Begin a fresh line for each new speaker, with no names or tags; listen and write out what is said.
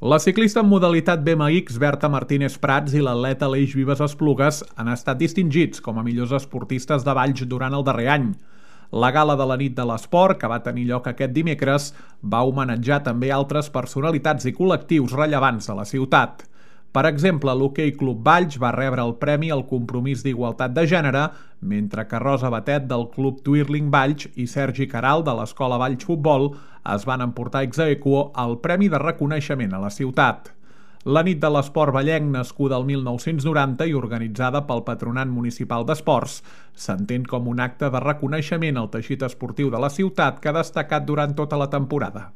La ciclista en modalitat BMX Berta Martínez Prats i l'atleta Aleix Vives Esplugues han estat distingits com a millors esportistes de Valls durant el darrer any. La gala de la nit de l'esport, que va tenir lloc aquest dimecres, va homenatjar també altres personalitats i col·lectius rellevants de la ciutat. Per exemple, l'Hoquei Club Valls va rebre el Premi al Compromís d'Igualtat de Gènere, mentre que Rosa Batet del Club Twirling Valls i Sergi Caral de l'Escola Valls Futbol es van emportar ex aequo el Premi de Reconeixement a la ciutat. La nit de l'esport vallenc, nascuda el 1990 i organitzada pel Patronat Municipal d'Esports, s'entén com un acte de reconeixement al teixit esportiu de la ciutat que ha destacat durant tota la temporada.